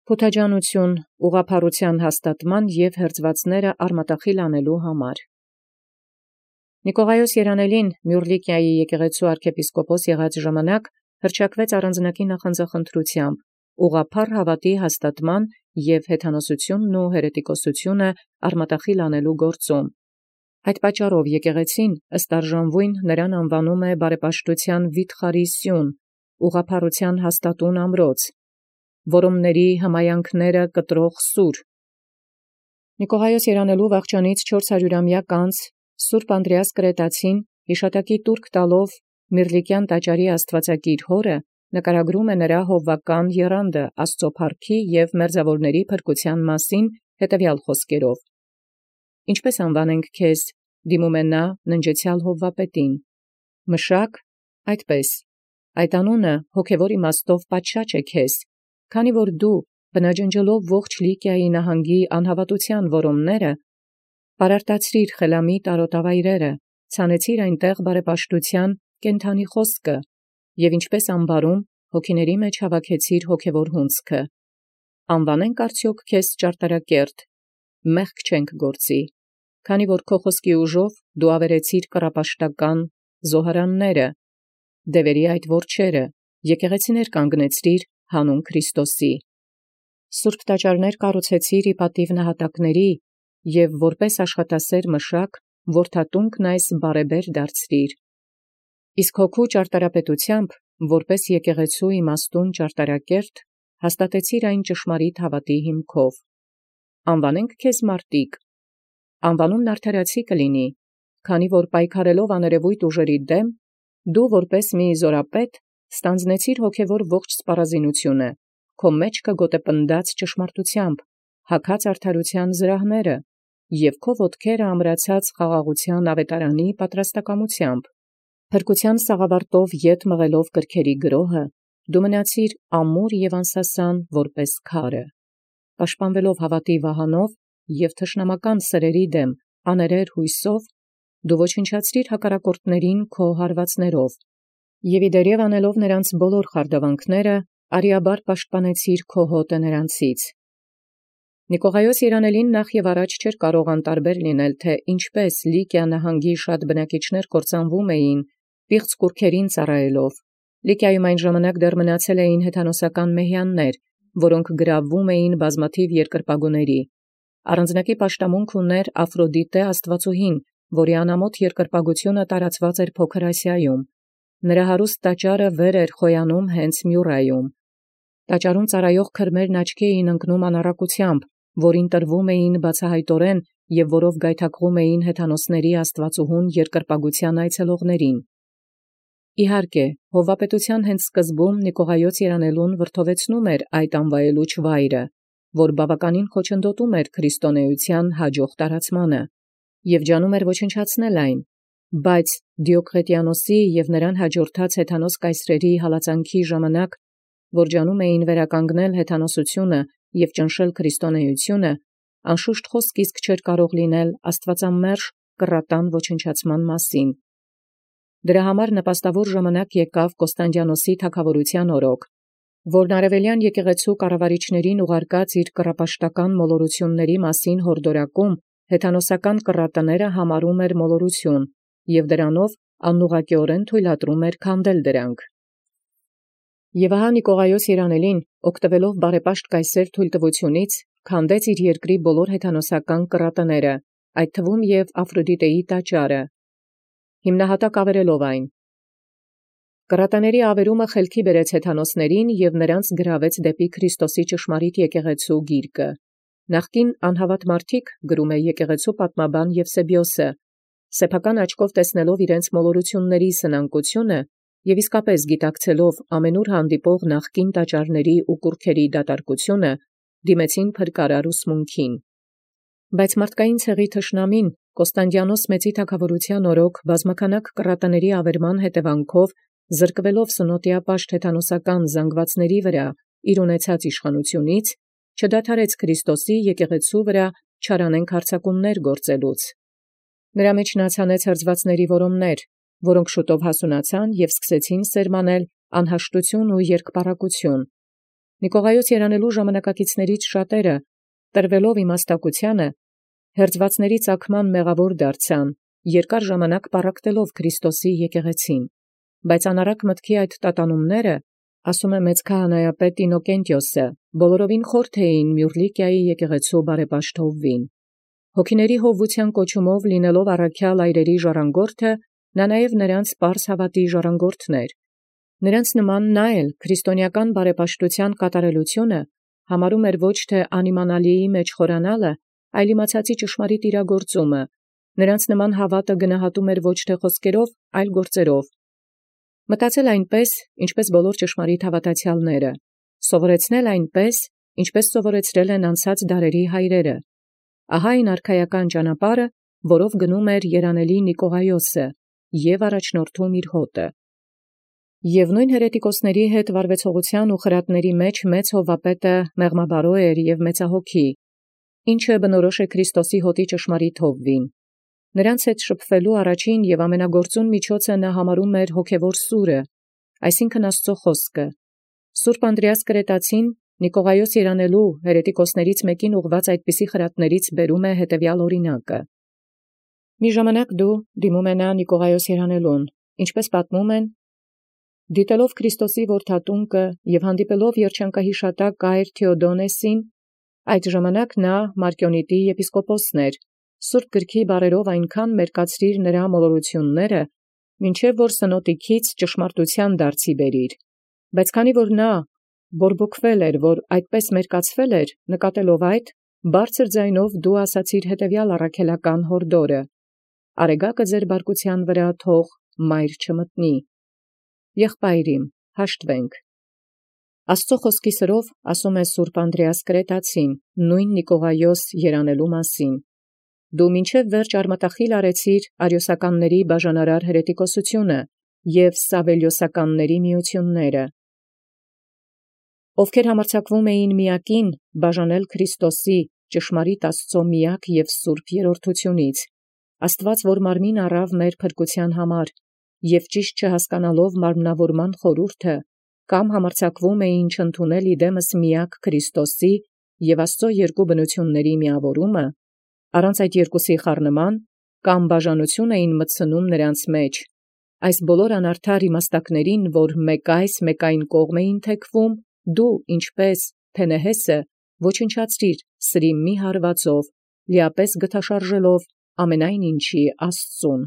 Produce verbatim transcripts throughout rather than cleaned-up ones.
Փութաջանութիւն ուղղափառութեան հաստատման և հերձուածացն արմատախիլ անելու համար։ Նիկողայոս երանելին Մյուռլիկիայի եկեղեցու arczepiskopos եղած ժամանակ հռչակվեց առանձնակի նախանձախնդրութեամբ ուղղափառ հաւատի հաստատման և հեթանոսութիւնն ու հերետիկոսութիւնն արմատախիլ անելու գործում։ Այդ պատճառով եկեղեցին ըստ արժանվոյն նրան անուանում է բարեպաշտութեան վիթխարի սիւն, ուղղափառութեան հաստատուն ամրոց, որոմների հմայանքները կտրող սուր։ Նիկողայոս երանելու վախճանից չորսարյուրամյակ անց Սուրբ Անդրեաս Կրետացին յիշատակի տուրք տալով Միրլիկյան տաճարի աստուածակիր հորը նկարագրում է նրա հովվական եռանդը Աստուծոյ փառքի և մերձաւորացն փրկութեան մասին հետևյալ խոսքերով. «Ինչպէս անվանենք քեզ, դիմում է նա ննջեցեալ Հովվապետին, Մշակ, այդպէս, այդ անունը հոգևոր իմաստով պատշաճ է քեզ, քանի որ դու բնաջնջելով ողջ Լիկիայի նահանգի անհաւատութեան որոմները, պարարտացրիր խելամիտ արտոտավայրերը, ցանեցիր այնտեղ բարեպաշտութեան կենդանի խոսքը, և ինչպէս ամբարում հոգիների մեջ հաւաքեցիր հոգևոր հունձքը։ Անվանենք արդյոք քեզ ճարտարակերտ, մեղք չենք գործի, քանի որ քո խոսքի ուժով դու ավերեցիր կռապաշտական զոհարանները, դևերի այդ որջերը, եկեղեցիներ կանգնեցրիր հանուն Քրիստոսի։ Սուրբ տաճարներ կառուցեցիր ի պատիւ նահատակների, և որպէս աշխատասեր մշակ որդատունկն այս բարեբեր դարձրիր։ Իսկ հոգու ճարտարապետութեամբ, որպէս եկեղեցու իմաստուն ճարտարակերտ, հաստատեցիր այն ճշմարիտ հաւատի հիմքով։ Անվանենք քեզ մարտիկ, անվանումն արդարացի կլինի, քանի որ պայքարելով աներևոյթ ուժերի դեմ, դու որպէս մի զօրապետ ստանձնեցիր հոգևոր ողջ սպառազինութիւնը, քո մեջքը գոտեպնդած ճշմարտութեամբ, հագած արդարութեան զրահները, և քո ոտքերը ամրացած խաղաղութեան աւետարանի պատրաստակամութեամբ։ Փրկութեան սաղավարտով ետ մղելով կրքերի գրոհը, դու մնացիր ամուր և անսասան որպէս քարը։ Պաշտպանվելով հաւատի վահանով և թշնամական սրերի դեմ աներեր յուսով, դու ոչնչացրիր հակառակորդներին քո հարվածներով, և իդերև անելով նրանց բոլոր խարդաւանքները, արիաբար պաշտպանեցիր քո հոտը նրանցից։ Նիկողայոս երանելին նախ և առաջ չէր կարող անտարբեր լինել, թե ինչպէս Լիկիա նահանգի շատ բնակիչներ կործանվում էին, պիղծ կուռքերին ծառայելով։ Լիկիայում այն ժամանակ դեռ մնացել էին հեթանոսական մեհյաններ, որոնք գրավում էին բազմաթիվ երկրպագուների։ Առանձնակի պաշտամունք ուներ Աֆրոդիտե աստուածուհին, որի անամոթ երկրպագութիւնը տարածված էր Փոքր Ասիայում։ Նրա հարուստ տաճարը վեր էր խոյանում հենց Մյուրայում։ Տաճարում ծառայող քրմերն աչքի էին ընկնում անառակությամբ, որին տրվում էին բացահայտորեն և որով գայթակղում էին հեթանոսների աստուածուհուն երկրպագութեան այցելողներին։ Իհարկե, հովվապետութեան հենց սկզբում Նիկողայոս երանելուն վրդովեցնում էր այդ անվայելուչ վայրը, որ բավականին խոչընդոտում էր քրիստոնեության հաջող տարածմանը, և ջանում էր ոչնչացնել այն, բայց Դիոկլետիանոսի և նրան հաջորդած հեթանոս կայսրերի հալածանքի ժամանակ, որ ջանում էին վերականգնել հեթանոսությունը և ճնշել քրիստոնեությունը, անշուշտ խոսք իսկ չէր կարող լինել աստուածամերժ կռատան ոչնչացման մասին։ Դրա համար նպաստավոր ժամանակ եկավ Կոստանդիանոսի թագաւորութեան օրոք, որն արևելյան եկեղեցու կառավարիչներին ուղարկած իր կռապաշտական մոլորութիւնների մասին յորդորակում հեթանոսական կռատները համարում էր մոլորութիւն, և դրանով անուղղակիորեն թույլատրում էր քանդել դրանք։ Եւ ահա Նիկողայոս երանելին, օգտվելով բարեպաշտ կայսեր թույլտվութիւնից, քանդեց իր երկրի բոլոր հեթանոսական կռատները, այդ թվում և Աֆրոդիտեի տաճարը, հիմնահատակ ավերելով այն։ Կռատաների ավերումը խելքի բերեց հեթանոսներին և նրանց գրավեց դեպի Քրիստոսի ճշմարիտ եկեղեցու գիրկը։ Նախկին անհավատ մարդիկ, գրում է եկեղեցու պատմաբան Եվսեբիոսը, սեփական աչքով տեսնելով իրենց մոլորութիւնների սնանկությունը և իսկապես գիտակցելով ամենուր հանդիպող նախկին տաճարների ու կուռքերի դատարկությունը, դիմեցին փրկարար ուսմունքին։ Բայց մարդկային ցեղի թշնամին Կոստանդիանոս մեծի թագաւորութեան օրոք բազմաքանակ կռատաների ավերման հետևանքով, զրկվելով սնոտիապաշտ հեթանոսական զանգվածների վրա իր ունեցած իշխանութիւնից, չդադարեց Քրիստոսի եկեղեցու վրա չարանենգ հարձակումներ գործելուց։ Նրա մեջ նացանեց հրձվածների որոմներ, որոնք շուտով հասունացան և սկսեցին սերմանել անհաշտություն ու երկպառակություն։ Նիկողայոս երանելու ժամանակակիցներից շատերը, տրվելով իմաստակությանը, հերձվածների ծագման մեղավոր դարձան, երկար ժամանակ պառակտելով Քրիստոսի եկեղեցին, բայց անառակ մտքի այդ տատանումները, ասում է մեծ քահանայապետ Ինոկենտիոսը, բոլորովին խորթ էին Մյուռլիկիայի եկեղեցու բարեպաշտովին։ Հոգիների հովվության կոչումով լինելով առաքյալ այրերի ժառանգորդը, նա նաև նրանց պարս հավատի ժառանգորդն էր։ Նրանց նման նա էլ քրիստոնեական բարեպաշտության կատարելությունը համարում էր ոչ թե անիմանալիի մեջ խորանալը, այլ իմացածի ճշմարիտ իրագործումը, նրանց նման հավատը գնահատում էր ոչ թե խոսքերով, այլ գործերով։ Մտածել այնպես, ինչպես բոլոր ճշմարիտ հավատացյալները, սովորեցնել այնպես, ինչպես սովորեցրել են անցած դարերի հայրերը։ Ահա այն արքայական ճանապարհը, որով գնում էր երանելի Նիկողայոսը և առաջնորդում իր հոտը։ Եւ նոյն հերետիկոսների հետ վարվեցողության ու խրատների մեջ մեծ հովվապետը մեղմաբարո էր եւ մեծահոգի, ինչը բնորոշ է Քրիստոսի հոտի ճշմարիտ հովվին։ Նրանց հետ շփվելու առաջին եւ ամենագործուն միջոցը նա համարում էր հոգևոր սուրը, այսինքն Աստծո խոսքը։ Սուրբ Անդրեաս Կրետացին Նիկողայոս երանելու հերետիկոսներից մեկին ուղված այդպիսի խրատներից բերում է հետևյալ օրինակը։ Մի ժամանակ դու դիմում ես Նիկողայոս երանելուն, ինչպես պատմում են, դիտելով Քրիստոսի որդատունկը եւ հանդիպելով երջանկահիշատակ Կայր Թեոդոնեսին, այդ ժամանակ նա Մարկիոնիտի եպիսկոպոսն էր, Սուրբ գրքի բառերով այնքան մերկացրիր նրա մոլորությունները, մինչև որ սնոտիքից ճշմարտութեան դարձի բերիր։ Բայց քանի որ նա բորբոքվել էր, որ այդպես մերկացվել էր, նկատելով այդ, բարձր ձայնով դու ասացիր հետևյալ առաքելական հորդորը. «Արեգակը ձեր բարկության վրա թող մայր չմտնի»։ Եղբայրիմ, հաշտվենք։ Աստծո խոսքի սրով ասում է Սուրբ Անդրեաս Կրետացին, նույն Նիկողայոս երանելու մասին. «Դու մինչև վերջ արմատախիլ արեցիր արիոսականների բաժանարար հերետիկոսությունը և սավելիոսականների միությունները, ովքեր համարձակվում էին միակին բաժանել Քրիստոսի ճշմարիտ Աստծո միակ և սուրբ երրորդությունից, Աստված, որ մարմին առավ մեր փրկության համար, և ճիշտ չհասկանալով մարմնավորման խորհուրդը, կամ համարձակվում էին չընդունել իդեմս միակ Քրիստոսի և Աստծո երկու բնությունների միավորումը, առանց այդ երկուսի խառնման, կամ բաժանություն էին մտցնում նրանց մեջ, այս բոլոր անարդար իմաստակներին, որ մեկ այս մեկ այն կողմ էին թեքվում, դու, ինչպես Փենեհեսը, ոչնչացրիր սրի մի հարվածով, լիապես գթաշարժելով ամենայն ինչի Աստծուն»։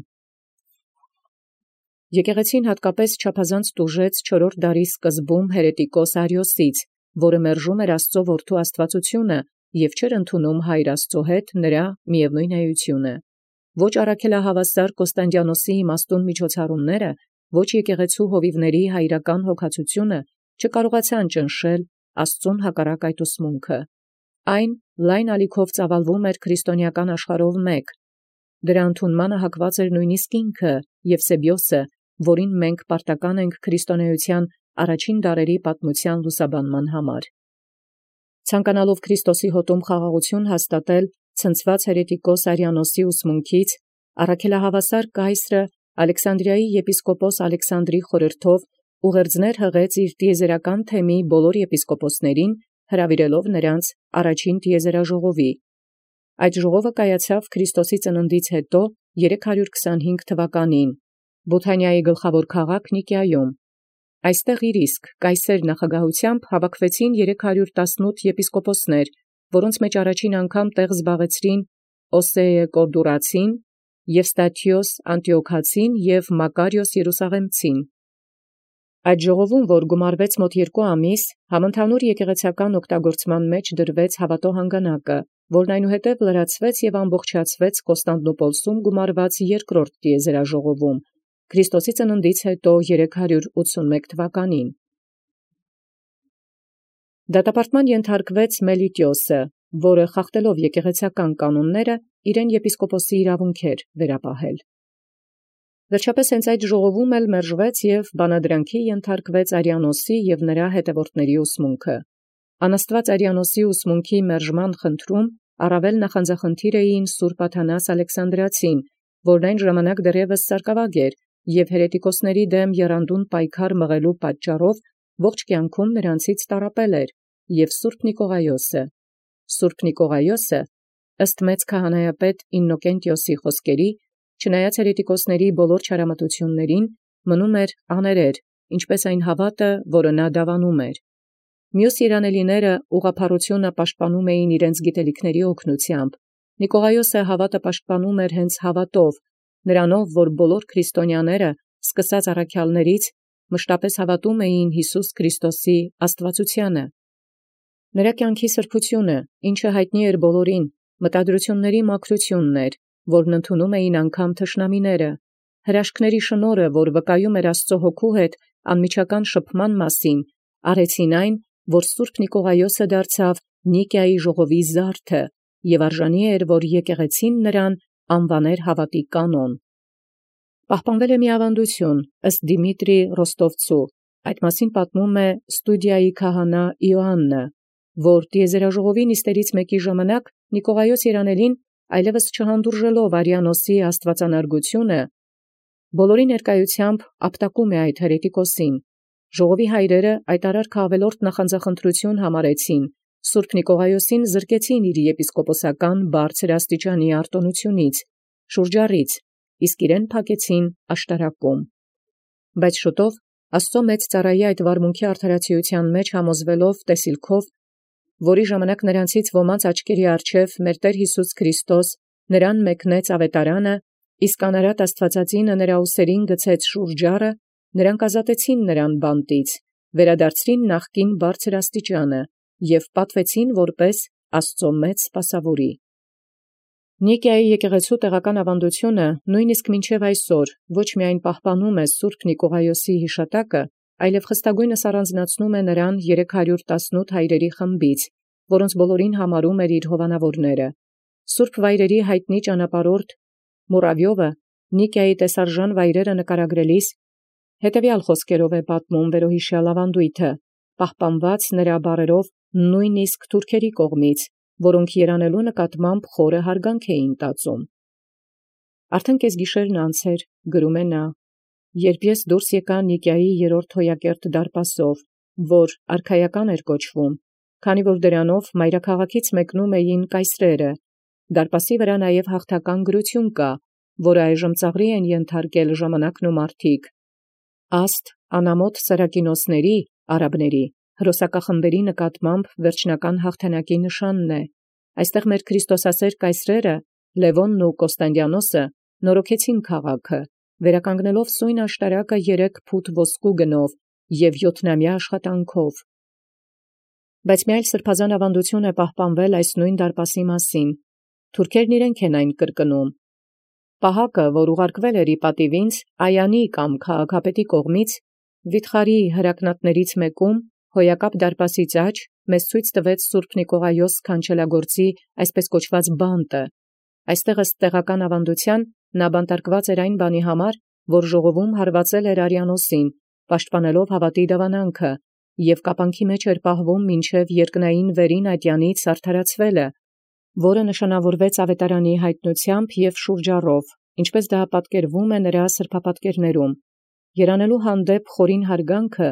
Եկեղեցին հատկապես չափազանց տուժեց չորրորդ դարի սկզբում հերետիկոս Արիոսից, որը մերժում էր Աստծո որդու աստվածությունը և չէր ընդունում հայր Աստծո հետ նրա միևնույն էությունը։ Ոչ առաքելահավասար Կոստանդիանոսի իմաստուն միջոցառումները, ոչ եկեղեցու հովիվների հայրական հոգացությունը չկարողացան ճնշել Աստծուն հակառակ այդ ուսմունքը։ Այն լայն ալիքով ծավալվում էր քրիստոնեական աշխարհով մեկ։ Դրա ընդունմանը հակված էր նույնիսկ ինքը Եվսեբիոսը, որին մենք պարտական ենք քրիստոնեության առաջին դարերի պատմության լուսաբանման համար։ Ցանկանալով Քրիստոսի հոտում խաղաղություն հաստատել ցնցված հերետիկոս Արիանոսի ուսմունքից, առաքելահավասար Կայսրը Ալեքսանդրիայի եպիսկոպոս Ալեքսանդրի խորհրդով ուղերձներ հղեց իր տիեզերական թեմի բոլոր եպիսկոպոսներին, հրավիրելով նրանց առաջին տիեզերաժողովի։ Այդ ժողովը կայացավ Քրիստոսի ծննդից հետո երեք հարյուր քսանհինգ թվականին, Բութանիայի գլխավոր քաղաք Նիկիայում։ Այստեղ իր իսկ Կայսեր նախագահությամբ հավաքվեցին երեք հարյուր տասնութ եպիսկոպոսներ, որոնց մեջ առաջին անգամ տեղ զբաղեցրին Օսեե Կորդուրացին, Եվստաթիոս Անտիոքացին և Մակարիոս Երուսաղեմցին։ Այդ ժողովում, որ գումարվեց մոտ երկու ամիս, համընդհանուր եկեղեցական օգտագործման մեջ դրվեց հավատո հանգանակը, որն այնուհետև լրացվեց և ամբողջացվեց Կոստանդնուպոլսում գումարված երկրորդ տիեզերաժողովում, Քրիստոսի ծննդից հետո երեք հարյուր ութսունմեկ թվականին։ Դատապարտման ենթարկվեց Մելիտիոսը, որը խախտելով եկեղեցական կանոնները, իրեն եպիսկոպոսի իրավունք էր վերապահել։ Վերջապես հենց այդ ժողովում էլ մերժվեց և բանադրանքի ենթարկվեց Արիանոսի և նրա հետևորդների ուսմունքը։ Անաստված Արիանոսի ուսմունքի մերժման խնդրում առավել նախանձախնդիր էին Սուրբ Աթանաս Ալեքսանդրացին, որն այն ժամանակ դեռևս սարկավագ էր և հերետիկոսների դեմ եռանդուն պայքար մղելու պատճառով ողջ կյանքում նրանցից տառապել էր, և Սուրբ Նիկողայոսը։ Սուրբ Նիկողայոսը ըստ մեծ քահանայապետ Իննոկենտիոսի խոսքերի, չնայած հերետիկոսների բոլոր չարամտություններին, մնում էր աներեր, ինչպես այն հաւատը, որը նա դավանում էր։ Մյուս երանելիները ուղղափառությունը պաշտպանում էին իրենց գիտելիքների օգնությամբ։ Նիկողայոսը հաւատը պաշտպանում էր հենց հաւատով, նրանով, որ բոլոր քրիստոնյաները, սկսած առաքյալներից, մշտապես հաւատում էին Յիսուս Քրիստոսի աստվածությանը։ Նրա կյանքի սրբությունը, ինչը յայտնի էր բոլորին, մտադրությունների մաքրությունն էր, որն ընդունում էին անգամ թշնամիները, հրաշքների շնորհը, որ վկայում էր Աստծո հոգու հետ անմիջական շփման մասին, արեցին այն, որ Սուրբ Նիկողայոսը դարձավ Նիկիայի ժողովի զարդը, և արժանի էր, որ եկեղեցին նրան անվաներ հաւատի կանոն։ Պահպանվել է մի ավանդություն ըստ Դիմիտրի Ռոստովցու, այդ մասին պատմում է Ստուդիայի քահանա Իոաննը, որ տիեզերաժողովի նիստերից մեկի ժամանակ Նիկողայոս երանելին, այլևս չհանդուրժելով Արիանոսի աստվածանարգությունը, բոլորի ներկայությամբ ապտակում է այդ հերետիկոսին։ Ժողովի հայրերը այդ արարքը ավելորդ նախանձախնդրություն համարեցին, Սուրբ Նիկողայոսին զրկեցին իր եպիսկոպոսական բարձր աստիճանի արտոնությունից, շուրջառից, իսկ իրեն փակեցին աշտարակում։ Բայց շուտով Աստծո մեծ ծառայի այդ վարմունքի արդարացիության մեջ համոզվելով տեսիլքով, որի ժամանակ նրանցից ոմանց աչքերի առջև մեր Տեր Յիսուս Քրիստոս նրան մեկնեց ավետարանը, իսկ անարատ Աստվածածինը նրա ուսերին գցեց շուրջառը, նրանք ազատեցին նրան բանտից, վերադարձրին նախկին բարձր աստիճանը և պատվեցին որպես Աստծո մեծ սպասաւորի։ Նիկիայի եկեղեցու տեղական ավանդությունը նույնիսկ մինչև այսօր ոչ միայն պահպանում է Սուրբ Նիկողայոսի յիշատակը, այլև խստագույնս առանձնացնում է նրան երեք հարյուր տասնութ հայրերի խմբից, որոնց բոլորին համարում էր իր հովանավորները։ Սուրբ վայրերի յայտնի ճանապարհորդ Մուրավիովը Նիկիայի տեսարժան վայրերը նկարագրելիս հետևյալ խոսքերով է պատմում վերոհիշյալ ավանդույթը, պահպանված նրա բառերով նույնիսկ թուրքերի կողմից, որոնք երանելու նկատմամբ խորը հարգանք էին տածում։ Արդեն կեսգիշերն անցեր, գրում է նա, երբ ես դուրս եկա Նիկիայի երրորդ հոյակերտ դարպասով, որ արքայական էր կոչվում, քանի որ դրանով մայրաքաղաքից մեկնում էին կայսրերը, դարպասի վրա նաև հաղթական գրություն կա, որը այժմ ծաղրի են ենթարկել ժամանակն ու մարդիկ, աստ անամոթ Սարակինոսների, արաբների, հրոսակախմբերի նկատմամբ վերջնական հաղթանակի նշանն է։ Այստեղ մեր քրիստոսասեր կայսրերը, Լևոնն ու Կոստանդիանոսը, նորոգեցին քաղաքը, վերականգնելով սույն աշտարակը երեք փութ ոսկու գնով և յոթնամյա աշխատանքով։ Բայց մի այլ սրբազան ավանդություն է պահպանվել այս նույն դարպասի մասին։ Թուրքերն իրենք են այն կրկնում։ Պահակը, որ ուղարկվել էր ի պատիվինց Այանի կամ քաղաքապետի կողմից, վիթխարի հրակնատներից մեկում, հոյակապ դարպասից աջ, մեզ ցույց տվեց Սուրբ Նիկողայոս քանչելագործի այսպես կոչված բանտը։ Այստեղ ըստ տեղական ավանդության նա բանտարկված էր այն բանի համար, որ ժողովում հարվածել էր Արիանոսին, պաշտպանելով հավատի դավանանքը, և կապանքի մեջ էր պահվում մինչև երկնային վերին ատյանից արդարացվելը, որը նշանավորվեց ավետարանի յայտնությամբ և շուրջառով, ինչպես դա պատկերվում է նրա սրբապատկերներում։ Երանելու հանդեպ խորին հարգանքը,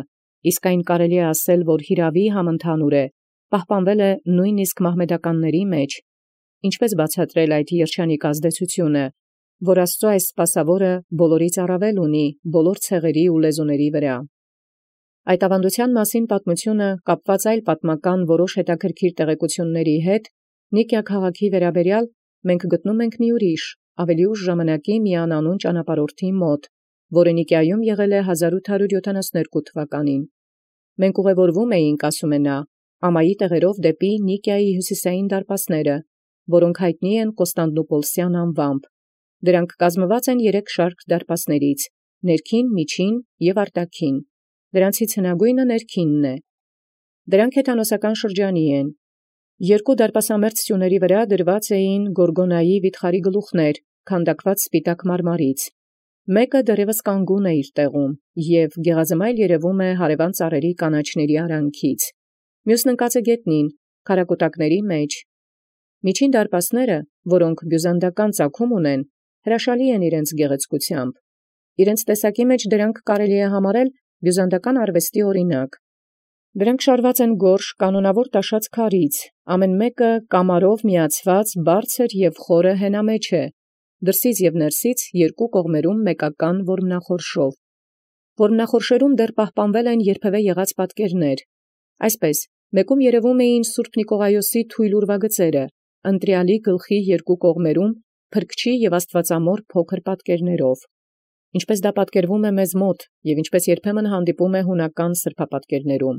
իսկ այն կարելի է ասել, որ հիրավի համընդհանուր է, պահպանվել է նույնիսկ մահմեդականների մեջ, ինչպես բացատրել այդ երջանիկ ազդեցությունը, որ Աստծո այս սպասավորը բոլորից առավել ունի բոլոր ցեղերի ու լեզուների վրա։ Այդ ավանդության մասին պատմությունը կապված այլ պատմական որոշ հետաքրքիր տեղեկությունների հետ, Նիկիա քաղաքի վերաբերյալ մենք գտնում ենք մի ուրիշ, ավելի ուշ ժամանակի մի անանուն ճանապարհորդի մոտ, որը Նիկիայում եղել է հազար ութ հարյուր յոթանասունհինգ թվականին։ Մենք ուղևորվում էինք, ասում է նա, ամայի տեղերով դեպի Նիկիայի հյուսիսային դարպասները, որոնք յայտնի են Կոստանդնուպոլսյան անվամբ։ Դրանք կազմված են երեք շարք դարպասներից՝ ներքին, միջին և արտաքին։ Դրանցից հնագույնը ներքինն է։ Դրանք հեթանոսական շրջանի են։ Երկու դարպասամերձ սյուների վրա դրված էին Գորգոնայի վիթխարի գլուխներ, քանդակված սպիտակ մարմարից։ Մեկը դեռևս կանգուն է իր տեղում, և գեղազմայլ երևում է հարևան ծառերի կանաչների արանքից։ Մյուսն ընկած է գետնին, քարակուտակների մեջ։ Միջին դարպասները, որոնք բյուզանդական ծագում ունեն, հրաշալի են իրենց գեղեցկությամբ։ Իրենց տեսակի մեջ դրանք կարելի է համարել բյուզանդական արվեստի օրինակ։ Դրանք շարված են գորշ կանոնավոր տաշած քարից, ամեն մեկը կամարով միացված բարձր և խորը հենամեջ է, դրսից և ներսից երկու կողմերում մեկական որմնախորշով։ Որմնախորշերում դեռ պահպանվել են երբևէ եղած պատկերներ։ Այսպես, մեկում երևում էին սուրբ Նիկողայոսի թույլ ուրվագծերը, ընտրյալի գլխի երկու կողմերում փրկչի և աստվածամոր փոքր պատկերներով, ինչպես դա պատկերվում է մեզ մոտ և ինչպես երբեմն հանդիպում է հունական սրբապատկերներում։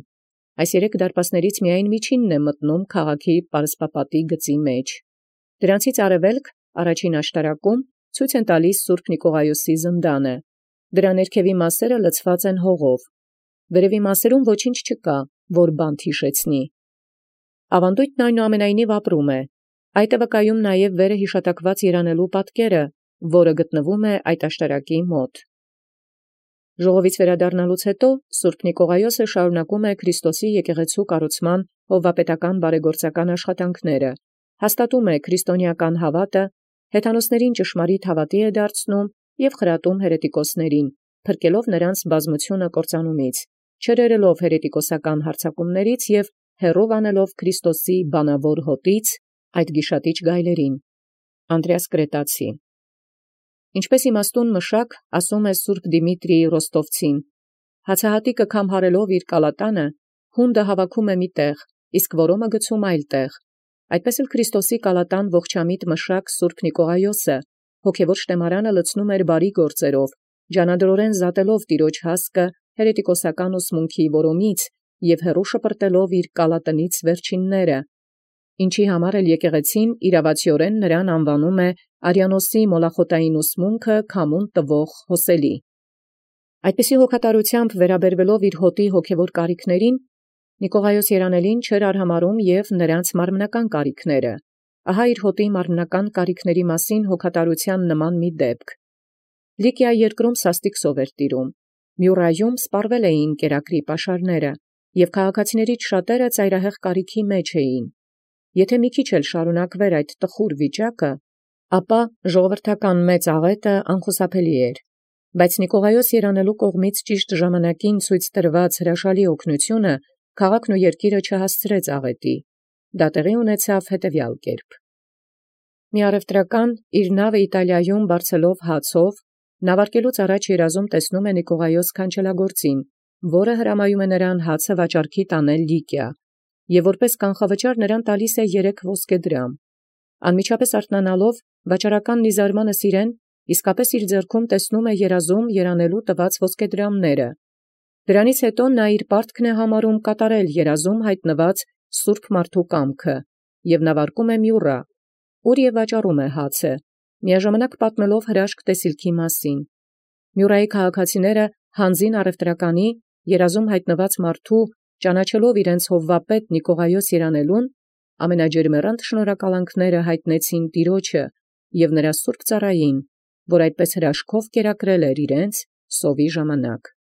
Այս երեք դարպասներից միայն միջինն է մտնում քաղաքի պարսպապատի գծի մեջ։ Դրանցից արևելք, առաջին աշտարակում, ցույց են տալիս սուրբ Նիկողայոսի զնդանը։ Դրա ներքևի մասերը լցված են հողով։ Վերևի մասերում ոչինչ չկա, որ բանտ հիշեցնի։ Ավանդույթն այնուամենայնիվ ապրում է։ Այդ է վկայում նաև վերը հիշատակված երանելու պատկերը, որը գտնվում է այդ աշտարակի մոտ։ Ժողովից վերադառնալուց հետո սուրբ Նիկողայոսը շարունակում է Քրիստոսի եկեղեցու կառուցման հովվապետական բարեգործական աշխատանքները, հաստատում է քրիստոնեական հավատը, հեթանոսներին ճշմարիտ հավատի է դարձնում և խրատում հերետիկոսներին, փրկելով նրանց բազմությունը կործանումից, չերերելով հերետիկոսական հարձակումներից և հեռով անելով Քրիստոսի բանավոր հոտից այդ գիշատիչ գայլերին։ Անդրեաս Կրետացի։ Ինչպես իմաստուն մշակ, ասում է սուրբ Դիմիտրիի Ռոստովցին, հացահատիկը քամհարելով իր կալատանը, հունդը հավաքում է մի տեղ, իսկ որոմը գցում այլ տեղ։ Այդպես էլ Քրիստոսի կալատան ողջամիտ մշակ սուրբ Նիկողայոսը, հոգևոր շտեմարանը լցնում էր բարի գործերով, ջանադրորեն զատելով տիրոջ հասկը հերետիկոսական ուսմունքի որոմից և հեռու շպրտելով իր կալատնից վերջինները, ինչի համար էլ եկեղեցին իրավացիորեն նրան անվանում է արյանոսի մոլախոտային ուսմունքը քամուն տվող հոսելի։ Այդպիսի հոգատարությամբ վերաբերվելով իր հոտի հոգևոր կարիքներին, Նիկողայոս երանելին չէր արհամարհում և նրանց մարմնական կարիքները։ Ահա իր հոտի մարմնական կարիքների մասին հոգատարության նման մի դեպք։ Լիկիա երկրում սաստիկ սով էր տիրում։ Մյուռայում սպառվել էին կերակրի պաշարները, և քաղաքացիներից շատերը ծայրահեղ կարիքի մեջ էին։ Եթե մի քիչ էլ շարունակվեր այդ տխուր վիճակը, ապա ժողովրդական մեծ աղետը անխուսափելի էր։ Բայց Նիկողայոս երանելու կողմից ճիշտ ժամանակին ցույց տրված հրաշալի օգնությունը քաղաքն ու երկիրը չհասցրեց աղետի։ Դա տեղի ունեցավ հետևյալ կերպ. Մի առևտրական իր նավը Իտալիայում բարձելով հացով, նավարկելուց առաջ երազում տեսնում է Նիկողայոս քանչելագործին, որը հրամայում է նրան հացը վաճառքի տանել Լիկիա, և որպես կանխավճար նրան տալիս է երեք ոսկեդրամ։ Անմիջապես արթնանալով, վաճառականն ի զարմանս իրեն իսկապես իր ձեռքում տեսնում է երազում երանելու տված ոսկեդրամները։ Դրանից հետո նա իր պարտքն է համարում կատարել երազում հայտնված սուրբ մարդու կամքը և նավարկում է Մյուռա, ուր և վաճառում է հացը, միաժամանակ պատմելով հրաշք տեսիլքի մասին։ Մյուռայի քաղաքացիները հանձին առևտրականի երազում հայտնված մարդու ճանաչելով իրենց հովվապետ Նիկողայոս երանելուն, ամենաջերմեռանդ շնորհակալանքները հայտնեցին տիրոջը և նրա սուրբ ծառային, որ այդպես հրաշքով կերակրել էր իրենց սովի ժամանակ։